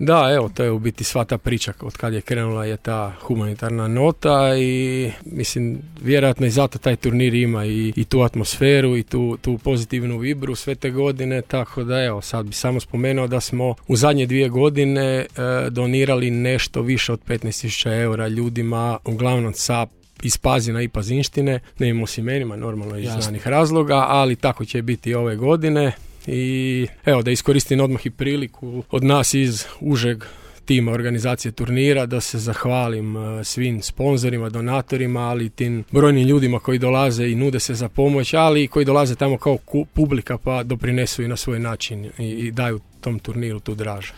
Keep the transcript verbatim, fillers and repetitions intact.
Da, evo, to je u biti sva ta priča od kad je krenula je ta humanitarna nota i mislim, vjerojatno i zato taj turnir ima i, i tu atmosferu i tu, tu pozitivnu vibru sve te godine, tako da evo, sad bi samo spomenuo da smo u zadnje dvije godine e, donirali nešto više od petnaest tisuća eura ljudima, uglavnom sa iz Pazina i Pazinštine, ne imamo s imenima, normalno iz znanih razloga, ali tako će biti i ove godine. I evo, da iskoristim odmah i priliku od nas iz užeg tima organizacije turnira da se zahvalim svim sponzorima, donatorima, ali i tim brojnim ljudima koji dolaze i nude se za pomoć, ali i koji dolaze tamo kao publika pa doprinesu i na svoj način i, i daju tom turniru tu draž.